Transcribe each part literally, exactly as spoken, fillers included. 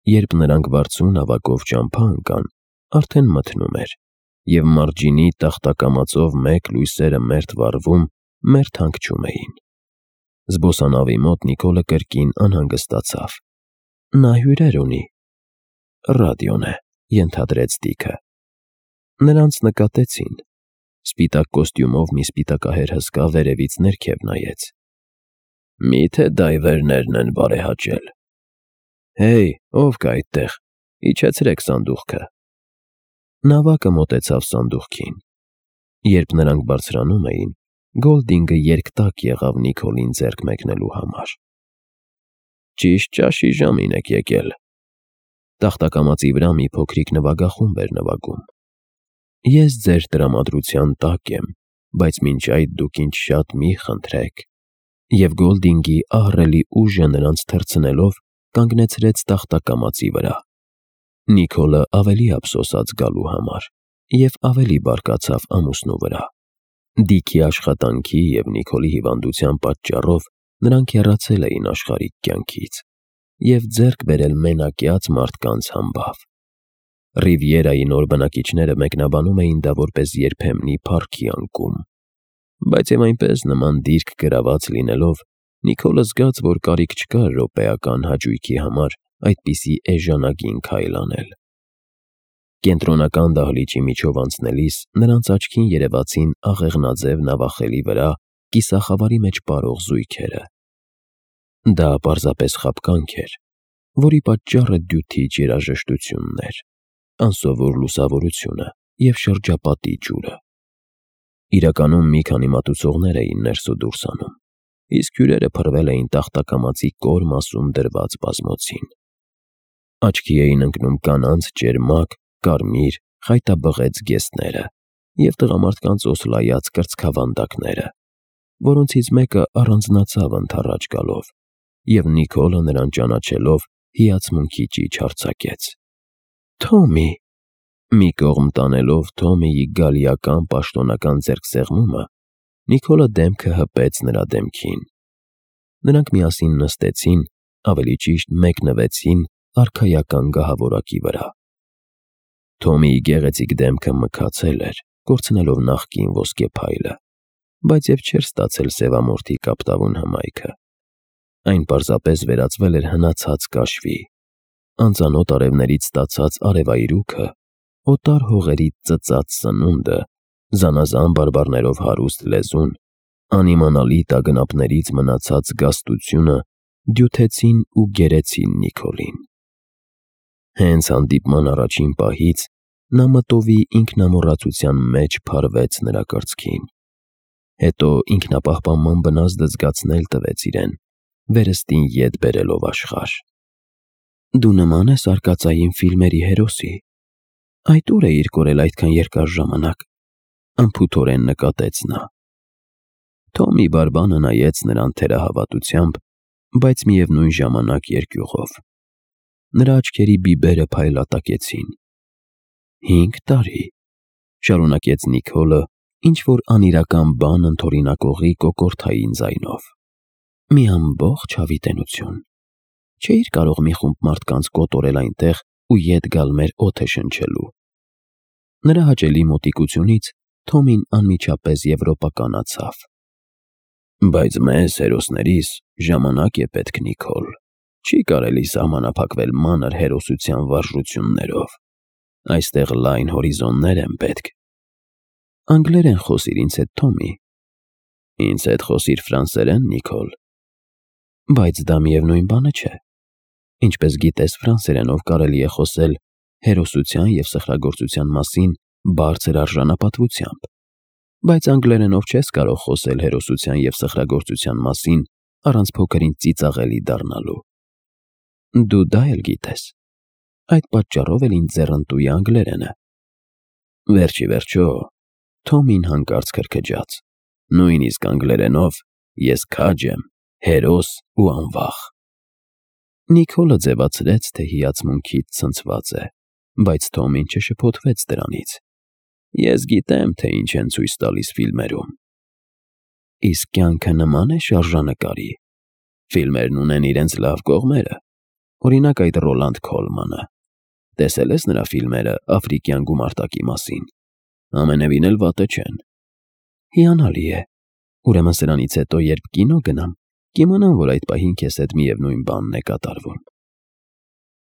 երբ նրանք վարձուն ավակով ճամփա ընկան, արդեն մթնում էր, և մարջինի տախտակամածով մեկ լույսերը մերթ վառվում, մերթ հանգչում էին։ Զբոսանավի մոտ Նիկոլը կրկին անհանգստացավ։ Նա հյուրեր ունի։ Ռադիոն է, ենթադրեց Դիքը։ Նրանց նկատեցին։ Սպիտակ կոստյումով մի սպիտակահեր հսկա վերևից ներքև նայեց։ Մի՞թե դայվերներն են բարեհաճել։ Հեյ, ով կա այդտեղ, իջեցրեք սանդուղքը։ Նավակը մոտեցավ սանդուղքին։ Երբ նրանք բարձրանում էին, Գոլդինգը երկտակ եղավ Նիկոլին ձեռք մեկնելու համար։ Ճիշտ ճաշի ժամին եք եկել։ Տախտակամածի վրա մի փոքրիկ նվագախումբ էր նվագում։ Ես ձեր տրամադրության տակ եմ, բայց մինչ այդ դուք ինձ շատ մի խնդրեք։ Եվ Գոլդինգի ահռելի ուժը նրանց թռցնելով կանգնեցրեց տախտակամածի վրա։ Նիկոլը ավելի ափսոսաց գալու համար և ավելի բարկացավ ամուսնու վրա։ Դիքի աշխատանքի և Նիկոլի հիվանդության պատճառով նրանք հեռացել էին աշխարհիկ կյանքից և ձեռք բերել մենակյաց մարդկանց համբավ։ Ռիվիերայի նոր բնակիչները մեկնաբանում էին դա որպես երբեմնի փառքի անկում։ Բայց և այնպես նման դիրք գրաված լինելով, Նիկոլը զգաց, որ կարիք չկար րոպեական հաճույքի համար այդպիսի էժանագին քայլ անել։ Կենտրոնական դահլիճի միջով անցնելիս նրանց աչքին երևացին աղեղնաձև նավախելի վրա կիսախավարի մեջ պարող զույգերը։ Դա պարզապես խաբկանք էր, որի պատճառը դյութիչ երաժշտությունն էր, անսովոր լուսավորությունը և շրջապատի ջուրը։ Իրականում մի քանի մատուցողներ էին ներս ու դուրս անում, իսկ հյուրերը փռվել էին տախտակամածի կոր մասում դրված բազմոցին։ Աչքի էին ընկնում կանանց ճերմակ, կարմիր, խայտաբղեծ զգեստները և տղամարդկանց օսլայած կրծքավանդակները, որոնցից մեկը առանձնացավ ընդառաջ գալով, և Նիկոլը նրան ճանաչելով հիացմունքի ճիչ արձակեց։ Թոմի… Մի կողմ տանելով Թոմիի գալիական պաշտոնական ձեռքսեղմումը, Նիկոլը դեմքը հպեց նրա դեմքին։ Նրանք միասին նստեցին, ավելի ճիշտ մեկնվեցին արքայական գահավորակի վրա։ Թոմիի գեղեցիկ դեմքը մքացել էր, կորցնելով նախկին ոսկե փայլը, բայց և չէր ստացել սևամորթի կապտավուն հմայքը։ Այն պարզապես վերածվել էր հնացած կաշվի։ Անծանոթ արևներից ստացած արևայրուքը, օտար հողերից ծծած սնունդը, զանազան բարբառներով հարուստ լեզուն, անիմանալի տագնապներից մնացած զգաստությունը դյութեցին ու գերեցին Նիկոլին։ Հենց հանդիպման առաջին պահից նա մտովի ինքնամոռացության մեջ փարվեց նրա կրծքին։ Հետո ինքնապահպանման բնազդը զգացնել տվեց իրեն, վերստին ետ բերելով աշխարհ։ Դու նման ես արկածային ֆիլմերի հերոսի։ Այդ ո՞ւր էիր կորել այդքան երկար ժամանակ, անփութորեն նկատեց նա։ Թոմի բարբանը նայեց նրան թերահավատությամբ, բայց միևնույն ժամանակ երկյուղով։ Նրա աչքերի բիբերը փայլատակեցին։ Հինգ տարի, շարունակեց Նիկոլը ինչ-որ անիրական բան ընդօրինակողի կոկորդային ձայնով։ Մի ամբողջ հավիտենություն։ Չէիր կարող մի խումբ մարդկանց կոտորել այնտեղ ու ետ գալ մեր օդը շնչելու։ Նրա հաճելի մոտիկությունից Թոմին անմիջապես եվրոպականացավ։ Բայց մեզ, հերոսներիս, ժամանակ է պետք, Նիկոլ։ Չի կարելի սահմանափակվել մանր հերոսության վարժություններով։ Այստեղ լայն հորիզոններ են պետք։ Անգլերեն խոսիր ինձ հետ, Թոմի։ Ինձ հետ խոսիր ֆրանսերեն, Նիկոլ։ Բայց դա միևնույն բանը չէ։ Ինչպես գիտես, ֆրանսերենով կարելի է խոսել հերոսության և սխրագործության մասին բարձր արժանապատվությամբ, բայց անգլերենով չես կարող խոսել հերոսության և սխրագործության մասին առանց փոքր-ինչ ծիծաղելի դառնալու։ Դու դա էլ գիտես։ Այդ պատճառով էլ ինձ ձեռնտու է անգլերենը։ Վերջ ի վերջո, Թոմին հանկարծ քրքջաց, նույնիսկ անգլերենով ես քաջ եմ, հերոս ու անվախ։ Նիկոլը ձևացրեց, թե հիացմունքից ցնցված է, բայց Թոմին չշփոթվեց դրանից։ Ես գիտեմ, թե ինչ են ցույց տալիս ֆիլմերում։ Իսկ կյանքը նման է շարժանկարի։ Ֆիլմերն ունեն իրենց լավ կողմերը։ Օրինակ այդ Ռոլանդ Քոլմանը։ Տեսել ես նրա ֆիլմերը աֆրիկյան գումարտակի մասին։ Ամենևին էլ վատը չեն։ Հիանալի է։ Ուրեմն սրանից հետո, երբ կինո գնամ, կիմանամ, որ այդ պահին քեզ հետ միևնույն բանն է կատարվում։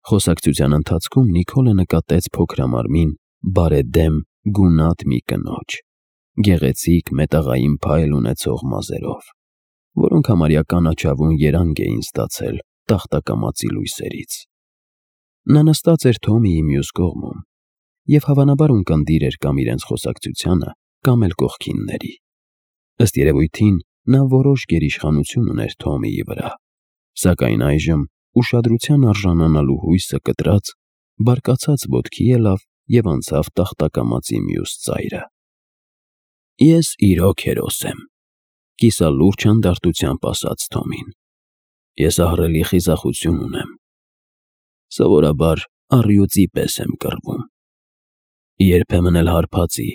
Խոսակցության ընթացքում Նիկոլը նկատեց փոքրամարմին, բարեդեմ, գունատ մի կնոջ, գեղեցիկ մետաղային փայլ ունեցող մազերով, որոնք համարյա կանաչավուն երանգ էին ստացել տախտակամածի լույսերից։ Նա նստած էր Թոմիի մյուս կողմում և հավանաբար ունկնդիր էր կամ իրենց խոսակցությանը, կամ էլ կողքինների։ Ըստ երևույթին, նա որոշ գերիշխանություն ուներ Թոմիի վրա, սակայն այժմ ուշադրության արժանանալու հույսը կտրած, բարկացած ոտքի ելավ և անցավ տախտակամածի մյուս ծայրը։ Ես իրոք հերոս եմ, կիսալուրջ հանդարտությամբ ասաց Թոմին։ Ես ահռելի խիզախություն ունեմ։ Սովորաբար առյուծի պես եմ կռվում։ Երբեմն էլ հարբածի։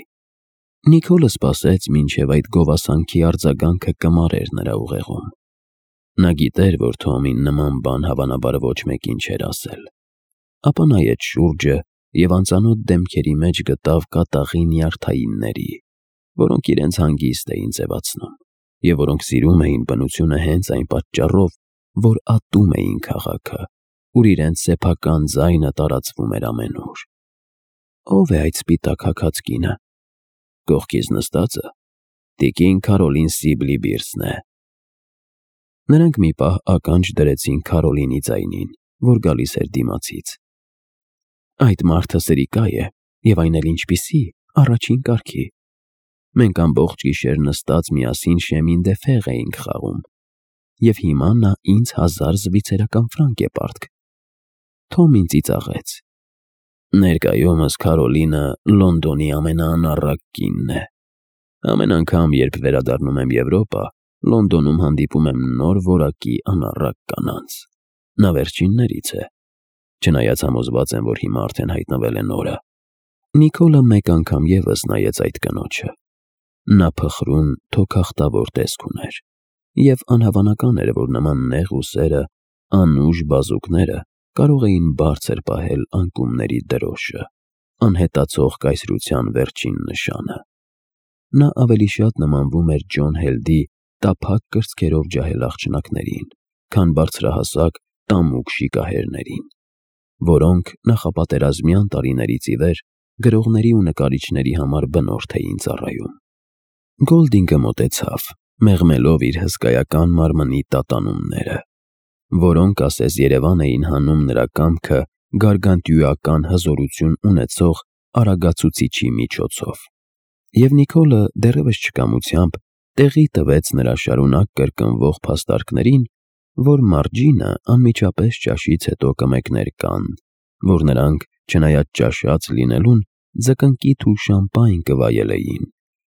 Նիկոլը սպասեց, մինչև այդ գովասանքի արձագանքը կմարեր նրա ուղեղում։ Նա գիտեր, որ Թոմին նման բան հավանաբար ոչ մեկին չէր ասել։ Ապա նայեց շուրջը և անծանոթ դեմքերի մեջ գտավ կատաղի նյարդայինների, որոնք իրենց հանգիստ էին ձևացնում, և որոնք սիրում էին բնությունը հենց այն պատճառով, որ ատում էին քաղաքը, ուր իրենց սեփական ձայնը տարածվում էր ամենուր։ Ո՞վ է այդ սպիտակ հագած կինը։ Կողքից նստածը տիկին Քարոլին Սիբլի-Բիրսն է։ Նրանք մի պահ ականջ դրեցին Քարոլինի ձայնին, որ գալիս էր դիմացից։ Այդ մարդը սրիկա է, և այն էլ ինչպիսի, առաջին կարգի։ Մենք ամբողջ գիշեր նստած միասին շեմին դե ֆեղ էինք խաղում, և հիմա նա ինձ հազար զվիցերական ֆրանկ է պարտք։ Թոմին ծիծաղեց։ Ներկայումս Քարոլինը Լոնդոնի ամենաանառակ կինն է։ Ամեն անգամ, երբ վերադառնում եմ Եվրոպա, Լոնդոնում հանդիպում եմ նոր որակի անառակ կանանց։ Նա վերջիններից է։ Չնայած համոզված եմ, որ հիմա արդեն հայտնվել է նորը։ Նիկոլը մեկ անգամ ևս նայեց այդ կնոջը։ Նա փխրուն, թոքախտավոր տեսք ուներ, և անհավանական էր, որ նման նեղ ուսերը, անուժ բազուկները կարող էին բարձր պահել անկումների դրոշը, անհետացող կայսրության վերջին նշանը։ Նա ավելի շատ նմանվում էր Ջոն Հելդի տափակ կրծքերով ջահել աղջնակներին, քան բարձրահասակ տամուկ շիկահերներին, որոնք նախապատերազմյան տարիներից ի վեր գրողների ու նկարիչների համար բնորդ էին ծառայում։ Գոլդինգը մոտեցավ, մեղմելով իր հսկայական մարմնի տատանումները, որոնք ասես Երևան էին հանում նրա կամքը գարգանտյուական հզորություն ունեցող արագացուցիչի միջոցով։ Եվ Նիկոլը դեռևս չկամությամբ տեղի տվեց նրա շարունակ կրկնվող փաստարկներին, որ Մարջինը անմիջապես ճաշից հետո կմեկներ կան, որ նրանք, չնայած ճաշած լինելուն, ձկնկիթ ու շամպայն կվայելեին,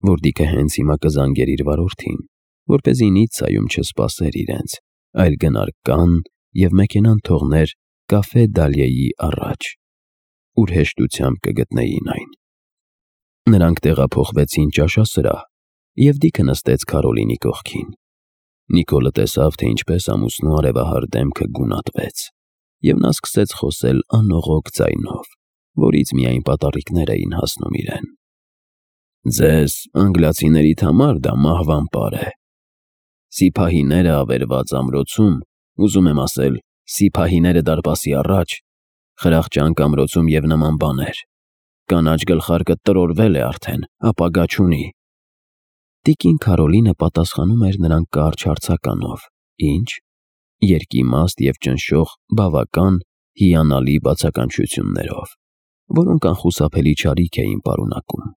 որ դիքը հենց հիմա կզանգեր իր վարորդին, որպեսզի Նիցցայում չսպասեր իրենց, այլ գնար Կանն և մեքենան թողներ Կաֆե Դալիեի առաջ, ուր հեշտությամբ կգտնեին այն։ Նրանք տեղափոխվեցին ճաշասրահ, և Դիքը նստեց Քարոլինի կողքին։ Նիկոլը տեսավ, թե ինչպես ամուսնու արևահար դեմքը գունատվեց, և նա սկսեց խոսել անողոք ձայնով, որից միայն պատառիկներ էին հասնում իրեն։ Ձեզ, անգլիացիներիդ համար դա մահվան պար է։ Սիփահիները ավերված ամրոցում, ուզում եմ ասել, Սիփահիները դարպասի առաջ, Խրախճանք ամրոցում և նման բաներ։ Կանաչ գլխարկը տրորվել է արդեն, ապագա չունի։ Տիկին Քարոլինը պատասխանում էր նրան կարճ հարցականով, ինչ, երկիմաստ և ճնշող բավական հիանալի բացականչություններով, որոնք անխուսափելի չարիք էին պարունակում։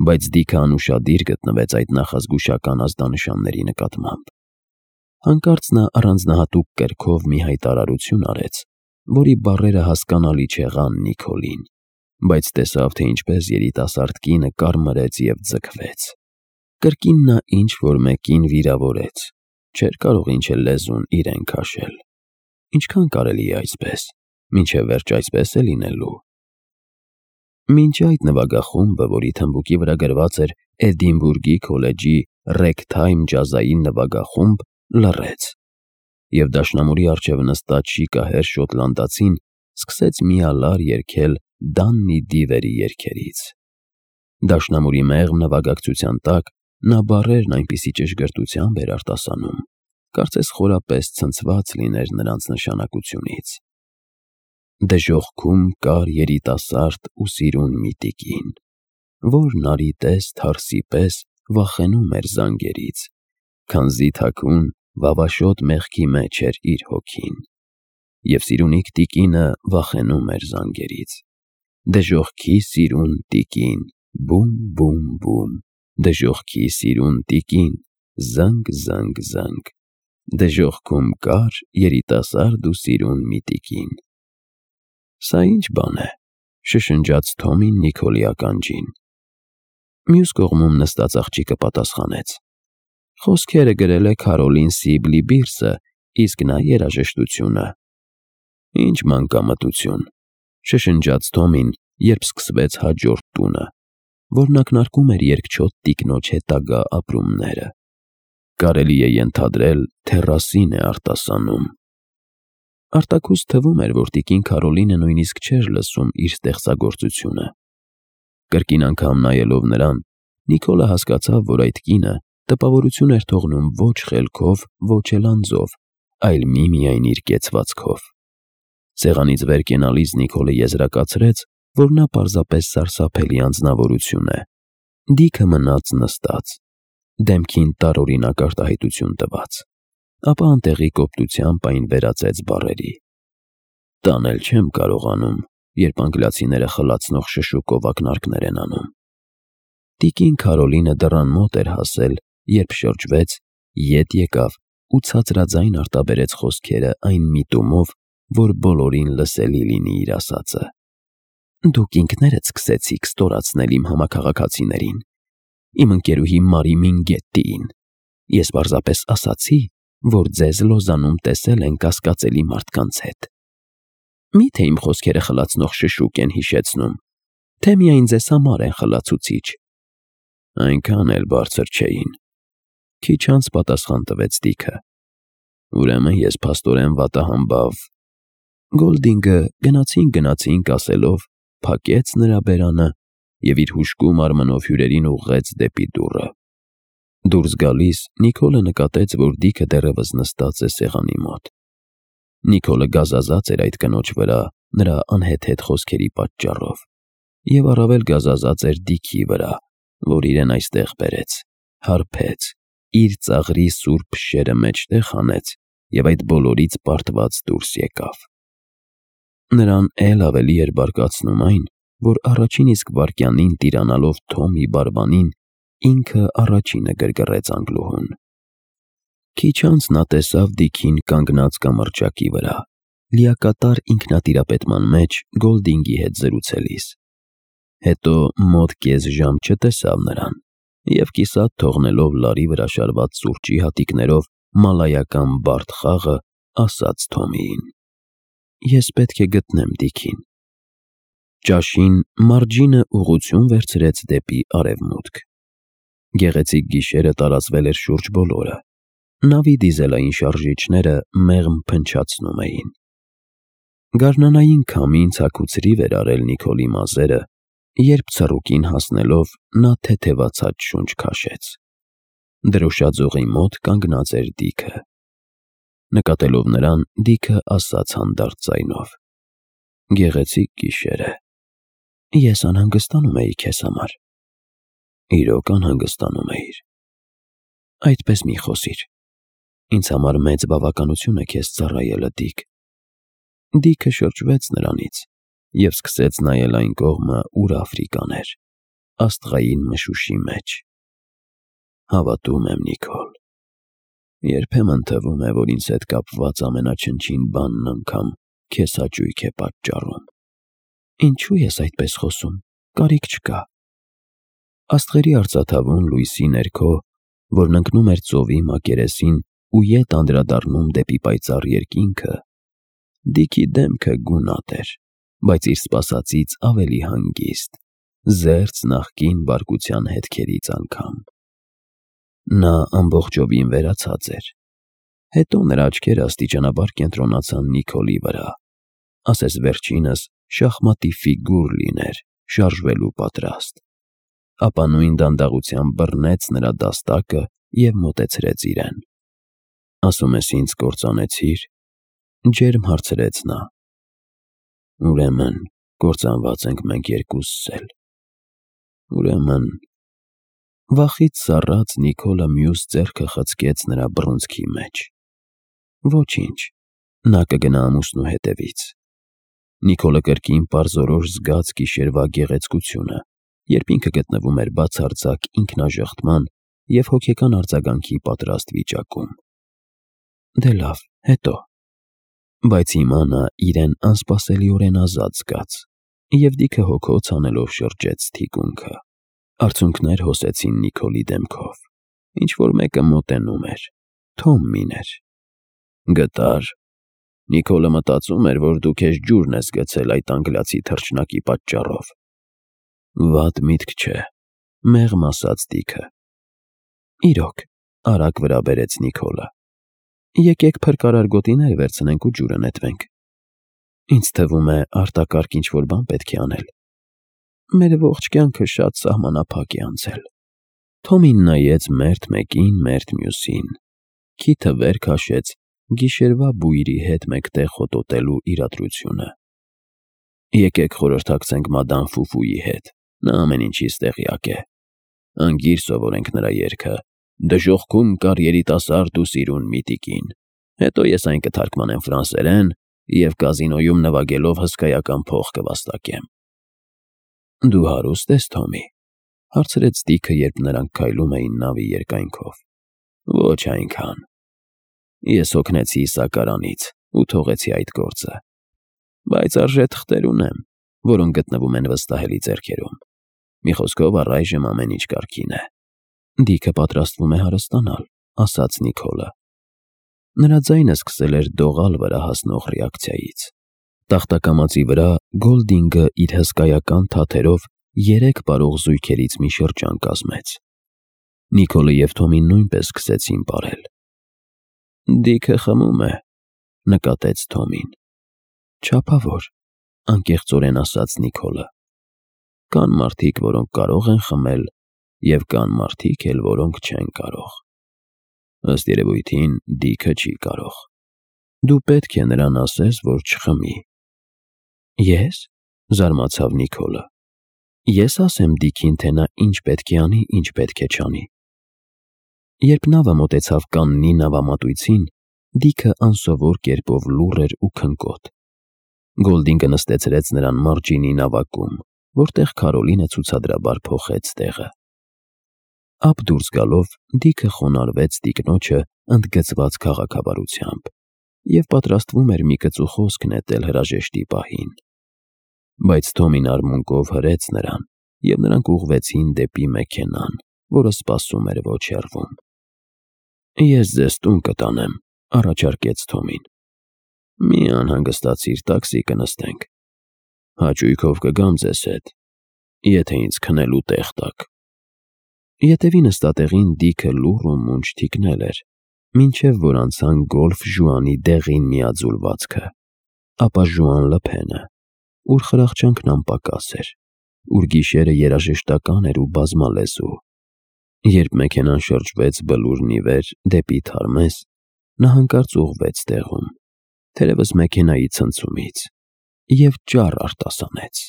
Բայց Դիքը անուշադիր գտնվեց այդ նախազգուշական ազդանշանների նկատմամբ։ Հանկարծ նա առանձնահատուկ կերքով մի հայտարարություն արեց, որի բառերը հասկանալի չեղան Նիկոլին, բայց տեսավ, թե ինչպես երիտասարդ կինը կարմրեց և ձգվեց։ Կրկին նա ինչ-որ մեկին վիրավորեց, չէր կարող ինչ-էլ լեզուն իրեն քաշել։ Ինչքան կարելի է այսպես, մինչև վերջ այսպես է լինելու։ Մինչ այդ նվագախումբը, որի թմբուկի վրա գրված էր Էդինբուրգի քոլեջի ռեգթայմ ջազային նվագախումբ, լռեց, և դաշնամուրի առջև նստած շիկահեր շոտլանդացին սկսեց միալար երգել Դաննի Դիվերի երգերից։ Դաշնամուրի մեղմ նվագակցության տակ նա բառերն այնպիսի ճշգրտությամբ էր արտասանում, կարծես խորապես ցնցված լիներ նրանց նշանակությունից։ Դժոխքում կար երիտասարդ ու սիրուն մի տիկին, որ նարի պես թարսի պես վախենում էր զանգերից, քանզի թաքուն վավաշոտ մեղքի մեջ էր իր հոգին, և սիրունիկ տիկինը վախենում էր զանգերից։ Դժոխքի սիրուն տիկին, բում բում բում, դժոխքի սիրուն տիկին, զանգ զանգ զանգ, դժոխքում կար երիտասարդ ու սիրուն մի տիկին։ Սա ի՞նչ բան է, շշնջաց Թոմին Նիքոլի ականջին։ Մյուս կողմում նստած աղջիկը պատասխանեց. Խոսքերը գրել է Քարոլին Սիբլի Բիրսը, իսկ նա երաժշտությունը։ Ինչ մանկամտություն, շշնջաց Թոմին, երբ սկսվեց հաջորդ տունը, որն ակնարկում էր երկչոտ տիկնոջ հետագա ապրումները։ Կարելի է ենթադրել, թե Ռասին է արտասանում։ Արտաքուստ թվում էր, որ տիկին Քարոլինը նույնիսկ չէր լսում իր ստեղծագործությունը։ Կրկին անգամ նայելով նրան, Նիկոլը հասկացավ, որ այդ կինը տպավորություն էր թողնում ոչ խելքով, ոչ էլ անձով, այլ միմիայն իր կեցվածքով։ Սեղանից վեր կենալիս Նիկոլը եզրակացրեց, որ նա պարզապես սարսափելի անձնավորություն է։ Դիքը մնաց նստած, դեմքին տարօրինակ արտահայտություն տված, ապա անտեղի կոպտությամբ այն վերածեց բառերի. «Տանել չեմ կարողանում, երբ անգլիացիները խլացնող շշուկով ակնարկներ են անում»։ Տիկին Քարոլինը դռան մոտ էր հասել, երբ շրջվեց, ետ եկավ ու ցածրաձայն արտաբերեց խոսքերը այն միտումով, որ բոլորին լսելի լինի իր ասածը։ «Դուք ինքներդ սկսեցիք ստորացնել իմ համաքաղաքացիներին, իմ ընկերուհի Մարի Մինգետտիին։ Ես պարզապես ասացի, որ ձեզ Լոզանում տեսել են կասկածելի մարդկանց հետ։ Մի՞թե իմ խոսքերը խլացնող շշուկ են հիշեցնում, թե միայն ձեզ համար են խլացուցիչ»։ Այնքան էլ բարձր չէին, քիչ անց պատասխան տվեց Դիքը։ Ուրեմն ես փաստորեն վատահամբավ։ Գոլդինգը գնացինք գնացինք ասելով փակեց նրա բերանը և իր հուժկու մարմնով հյուրերին ուղղեց դեպի դուռը։ Դուրս գալիս Նիկոլը նկատեց, որ Դիքը դեռևս նստած է սեղանի մոտ։ Նիկոլը գազազած էր այդ կնոջ վրա նրա անհեթեթ խոսքերի պատճառով, և առավել գազազած էր Դիքի վրա, որ իրեն այստեղ բերեց, հարբեց, իր ծաղրի սուրբ փշերը մեջտեղ հանեց և այդ բոլորից պարտված դուրս եկավ։ Նրան էլ ավելի էր բարկացնում այն, որ առաջին իսկ վայրկյանին տիրանալով Թոմի բարբանին, ինքը առաջինը գրգռեց անգլուհուն։ Քիչ անց նա տեսավ Դիքին կանգնած կամրջակի վրա, լիակատար ինքնատիրապետման մեջ Գոլդինգի հետ զրուցելիս։ Հետո մոտ կես ժամ չտեսավ նրան և կիսատ թողնելով լարի վրա շարված սուրճի հատիկներով մալայական բարդ խաղը, ասաց Թոմիին. «Ես պետք է գտնեմ Դիքին»։ Ճաշին Մարջինը ուղղություն վերցրեց դեպի արևմուտք։ Գեղեցիկ գիշերը տարածվել էր շուրջ բոլորը։ Նավի դիզելային շարժիչները մեղմ փնչացնում էին։ Գարնանային քամին ցաքուցրիվ էր արել Նիկոլի մազերը, երբ ցռուկին հասնելով նա թեթևացած շունչ քաշեց։ Դրոշաձողի մոտ կանգնած էր Դիքը։ Նկատելով նրան, Դիքը ասաց հանդարտ ձայնով. «Գեղեցիկ գիշեր է։ Ես անհանգստանում էի քեզ համար»։ Իրոք անհանգստանում էիր։ Այդպես մի խոսիր։ Ինձ համար մեծ բավականություն է քեզ ծառայելը, Դիք։ Դիքը շրջվեց նրանից և սկսեց նայել այն կողմը, ուր Աֆրիկան էր, աստղային մշուշի մեջ։ Հավատում եմ, Նիկոլ։ Երբեմն թվում է, որ ինձ հետ կապված ամենաչնչին բանն անգամ քեզ հաճույք է պատճառում։ Ինչու ես այդպես խոսում, կարիք չկա։ Աստղերի արծաթավուն լույսի ներքո, որն ընկնում էր ծովի մակերեսին ու ետ անդրադառնում դեպի պայծառ երկինքը, Դիքի դեմքը գունատ էր, բայց իր սպասածից ավելի հանգիստ, զերծ նախկին բարկության հետքերից անգամ։ Նա ամբողջովին վերացած էր։ Հետո նրա աչքերը աստիճանաբար կենտրոնացան Նիկոլի վրա, ասես վերջինս շախմատի ֆիգուր լիներ, շարժվելու պատրաստ, ապա նույն դանդաղությամբ բռնեց նրա դաստակը և մոտեցրեց իրեն։ «Ասում ես ինձ կործանեցի՞ր», ջերմ հարցրեց նա։ «Ուրեմն կործանված ենք մենք երկուսս էլ»։ Ուրեմն… Վախից սառած Նիկոլը մյուս ձեռքը խցկեց նրա բռունցքի մեջ։ Ոչինչ, նա կգնա ամուսնու հետևից։ Նիկոլը կրկին պարզորոշ զգաց գիշերվա գեղեցկությունը, երբ ինքը գտնվում էր բացարձակ ինքնաժխտման և հոգեկան արձագանքի պատրաստ վիճակում։ Դե լավ, հետո… Բայց հիմա նա իրեն անսպասելիորեն ազատ զգաց և դիքը հոգոց անելով շրջեց թիկունքը։ Արցունքներ հոսեցին Նիկոլի դեմքով։ Ինչ-որ մեկը մոտենում էր։ Թոմին էր։ «Գտա՞ր»։ Նիկոլը մտածում էր, որ դու քեզ ջուրն ես գցել այդ անգլիացի թռչնակի պատճառով։ Վատ միտք չէ, մեղմ ասաց Դիքը։ Իրոք, արագ վրա բերեց Նիկոլը։ Եկեք փրկարար գոտիներ վերցնենք ու ջուրը նետվենք։ Ինձ թվում է արտակարգ ինչ-որ բան պետք է անել։ Մեր ողջ կյանքը շատ սահմանափակ է անցել։ Թոմին նայեց մերթ մեկին, մերթ մյուսին, քիթը վեր քաշեց գիշերվա բույրի հետ մեկտեղ հոտոտելու իրադրությունը։ Եկեք խորհրդակցենք մադամ Ֆուֆուի հետ, նա ամեն ինչից տեղյակ է։ Անգիր սովորենք նրա երգը «Դժոխքում կար երիտասարդ ու սիրուն մի տիկին», հետո ես այն կթարգմանեմ ֆրանսերեն և կազինոյում նվագելով հսկայական փող կվաստակեմ։ Դու հարուստ ես, Թոմի, հարցրեց Դիքը, երբ նրանք քայլում էին նավի երկայնքով։ Ոչ այնքան։ Ես հոգնեցի Իսակարանից ու թողեցի այդ գործը։ Բայց արժե թղթեր ունեմ, որոնք գտնվում են վստահելի ձեռքերում։ Մի խոսքով, առայժմ ամեն ինչ կարգին է։ Դիքը պատրաստվում է հարստանալ, ասաց Նիկոլը։ Նրա ձայնը սկսել էր դողալ վրա հասնող ռեակցիայից։ Տախտակամածի վրա Գոլդինգը իր հսկայական թաթերով երեք պարող զույգերից մի շրջան կազմեց։ Նիկոլը և Թոմին նույնպես սկսեցին պարել։ Դիքը խմում է, նկատեց Թոմին։ Չափավոր, անկեղծորեն ասաց Նիկոլը։ Կան մարդիկ, որոնք կարող են խմել, և կան մարդիկ էլ, որոնք չեն կարող։ Ըստ երևույթին, Դիքը չի կարող։ Դու պետք է նրան ասես, որ չխմի։ Ես, զարմացավ Նիկոլը։ Ես ասեմ Դիքին, թե նա ինչ պետք է անի, ինչ պետք է չանի։ Երբ նավը մոտեցավ Կաննի նավամատույցին, Դիքը անսովոր կերպով լուռ էր ու քնկոտ։ Գոլդինգը նստեցրեց նրան մարջինի նավակում, որտեղ Քարոլինը ցուցադրաբար փոխեց տեղը։ Ափ դուրս գալով Դիքը խոնարհվեց տիկնոջը ընդգծված քաղաքավարությամբ և պատրաստվում էր մի կծու խոսք նետել հրաժեշտի պահին։ Բայց Թոմին արմունկով հրեց նրան, և նրանք ուղղվեցին դեպի մեքենան, որը սպասում էր ոչ հեռվում։ Ես ձեզ տուն կտանեմ, առաջարկեց Թոմին։ Մի անհանգստացիր, տաքսի կնստենք։ Հաճույքով կգամ ձեզ հետ, եթե ինձ քնելու տեղ տաք։ Ետևի նստատեղին Դիքը լուռ ու մունջ թիկնել էր, մինչև որ անցան գոլֆ Ժուանի դեղին միաձուլվածքը, ապա Ժուան Լփենը, ուր խրախճանքն անպակաս էր, ուր գիշերը երաժշտական էր ու բազմալեզու։ Երբ մեքենան շրջվեց բլուրն ի վեր դեպի Թարմես, նա հանկարծ ուղղվեց տեղում, թերևս մեքենայի ցնցումից, և ճառ արտասանեց.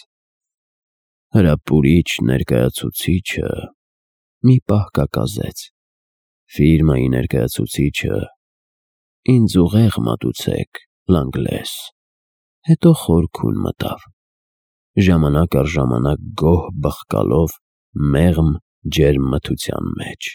Հրապուրիչ ներկայացուցիչը մի պահ կակազեց. Ֆիրմայի ներկայացուցիչը ինձ ուղեղ մատուցեք, Լանգլես։ Հետո խոր քուն մտավ, ժամանակ առ ժամանակ գոհ բխկալով մեղմ ջերմ մթության մեջ։